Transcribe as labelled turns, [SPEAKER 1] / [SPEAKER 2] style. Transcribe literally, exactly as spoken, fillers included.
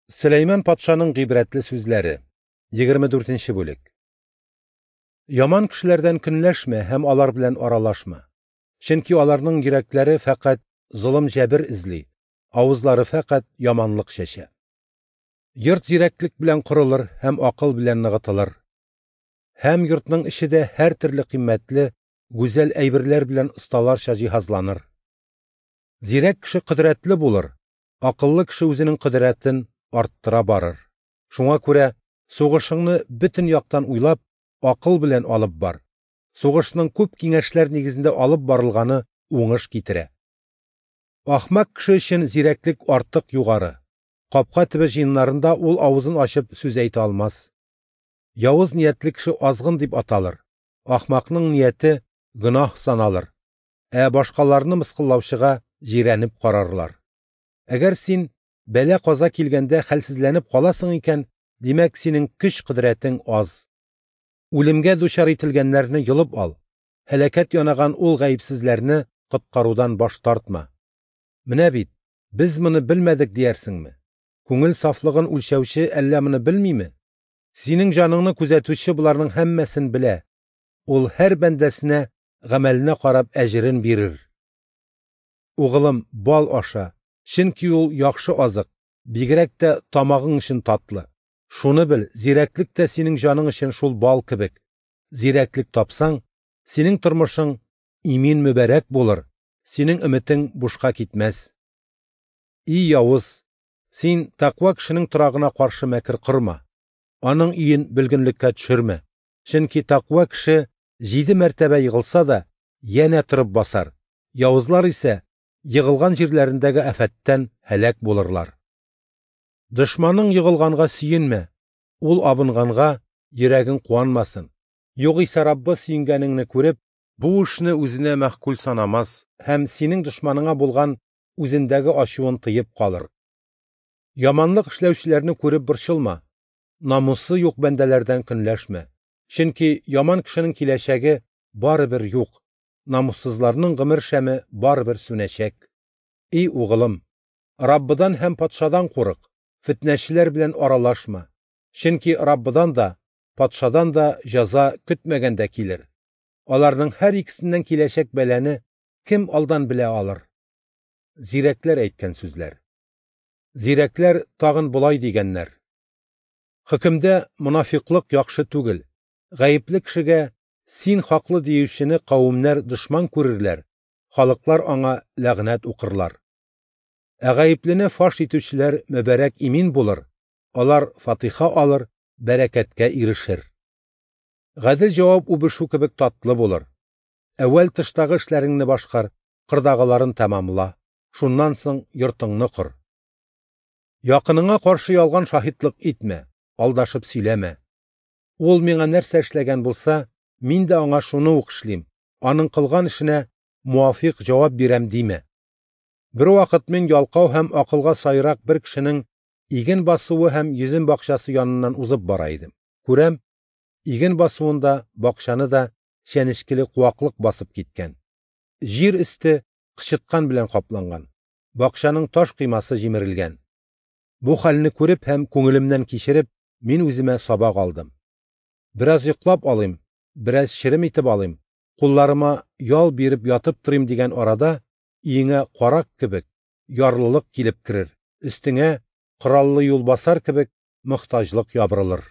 [SPEAKER 1] Сөләйман патшаның гыйбрәтле сүзләре. Егерме дүртенче бүлек. Яман кешеләрдән көнләшмә һәм алар белән аралашма. Чөнки аларның йөрәкләре фәкать золым-җәбер эзли, авызлары фәкать яманлык чәчә. Йорт зирәклек белән корылыр һәм акыл белән ныгытылыр. Һәм йортның эче дә һәр төрле кыйммәтле, гүзәл әйберләр белән осталарча җиһазланыр. Зирәк кеше кодрәтле булыр, акыллы кеше үзенең кодрәтен арттыра барыр. Шуңа күрә сугышыңны бөтен яктан уйлап, акыл белән алып бар. Сугышның күп киңәшләр нигезендә алып барылганы уңыш китерә. Ахмак кеше өчен зирәклек артык югары. Капка төбе җыеннарында ул авызын ачып сүз әйтә алмас. Явыз ниятле кеше азгын дип аталыр. Ахмакның нияте гөнаһ саналыр. Ә башкаларны мыскыллаучыга җирәнеп карарлар. Әгәр син бәла-каза килгәндә хәлсезләнеп каласың икән, димәк синең көч-кодрәтең аз. Үлемгә дучар ителгәннәрне йолып ал. Һәлакәт янаган ул гаепсезләрне коткарудан баш тартма. Менә бит, без моны белмәдек диярсеңме? Күңел сафлыгын үлчәүче әллә моны белмиме? Синең җаныңны күзәтүче боларның һәммәсен белә. Ул һәр бәндәсенә гамәленә карап әҗерен бирер. Угылым, бал аша, чөнки ул яхшы азык, бигрәк тә тамагың өчен татлы. Шуны бел, зирәклек тә синең җаның өчен шул бал кебек. Зирәклек тапсаң, синең тормышың имин мөбарәк булыр, синең өметең бушка китмәс. И явыз, син тәкъва кешенең торагына каршы мәкер корма. Аның өен бөлгенлеккә төшермә. Чөнки тәкъва кеше җиде мәртәбә егылса да, янә торып басар. Явызлар исә егылган җирләрендәге афәттән һәлак булырлар. Дошманың егылганга сөенмә, ул абынганга йөрәгең куанмасын. Югыйсә Раббы сөенгәнеңне күреп, бу эшне үзенә мәгъкуль санамас һәм синең дошманыңа булган үзендәге ачуын тыеп калыр. Яманлык эшләүчеләрне күреп борчылма, намусы юк бәндәләрдән көнләшмә. Чөнки яман кешенең киләчәге барыбер юк, намуссызларның гомер шәме барыбер сүнәчәк. И угылым, Раббыдан һәм патшадан курык, фитнәчеләр белән аралашма. Чөнки Раббыдан да, патшадан да җәза көтмәгәндә килер. Аларның һәр икесеннән киләчәк бәлане кем алдан белә алыр? Зирәкләр әйткән сүзләр. Зирәкләр тагын болай дигәннәр: Хөкемдә монафиклык яхшы түгел. Гаепле кешегә син хаклы диючене кавемнәр дошман күрерләр, халыклар аңа ләгънәт укырлар. Ә гаеплене фаш итүчеләр мөбарәк имин булыр, алар фатиха алыр, бәрәкәткә ирешер. Гадел җавап үбешү кебек татлы булыр. Әүвәл тыштагы эшләреңне башкар, кырдагыларын тәмамла, шуннан соң йортыңны кор. Якыныңа каршы ялган шаһитлык итмә, алдашып сөйләмә. Ул миңа нәрсә эшләгән булса, мин дә аңа шуны ук эшлим, аның кылган эшенә муафиq җавап бирәм димә. Бер вакыт мин ялкау һәм акылга сайрак бер кешенең иген басуы һәм йөзем бакчасы яныннан узып бара идем. Күрәм, иген басуында бакчаны да чәнечкеле куаклык басып киткән. Җир өсте кычыткан белән капланган. Бакчаның таш кыймасы җимерелгән. Бу хәлне күреп һәм күңелемнән кичереп, мин үземә сабак алдым. Бераз йоклап алыйм, бераз черем итеп алыйм, кулларыма ял биреп ятып торыйм дигән арада, өеңә карак кебек ярлылык килеп керер, өстеңә кораллы юлбасар кебек мохтаҗлык ябырылыр.